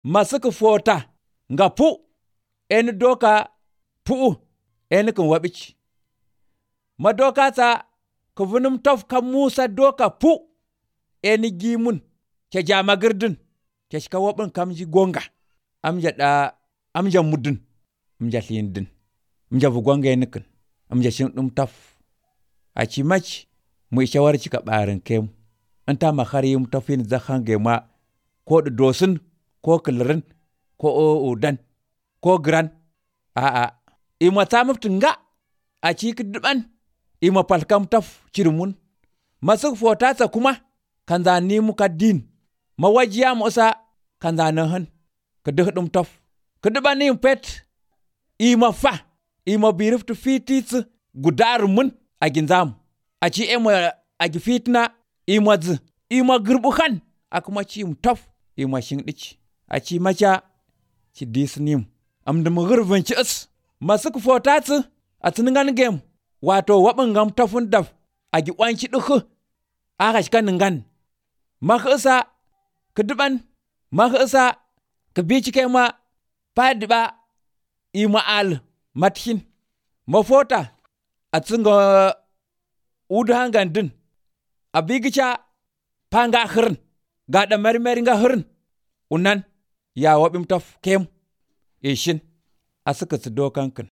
Masuk fota nga pu en doka pu en kun wabich. Ma doka ta ku vunum tof ka Musa doka pu en gimun ke jama girdin ke shika wabin kamji gonga amja mudin amja lindin amja vugonga enikin amja shin dum tof achi mach mu shawar chika barin kem anta makharim tofin zakhange ma ko dosin ko kilrin ko udan ko gran ima tamuftin nga achi kidban ima palkam tof chirmun masuk fotata kuma kanza ni muka din mawajiya musa kanza nahan kedum tof kedban pet ima fa ima biriftu fitis gudar mun aginzam achi ema agi fitna ima girbuhan akuma chim tof ima shingdich achi macha chi disnim amdum girvin chis masuk fotatsu atningan gem wato wabin gam tofun daf agi wanchi dukhu aka shika ningan makhisa kidban makhisa kibichi kema padba ima al mathin mafota atsinga udhangan din abigicha panga khirn gada mermeri nga khirn unan ya wabim tof kem ishin asuka dokan kin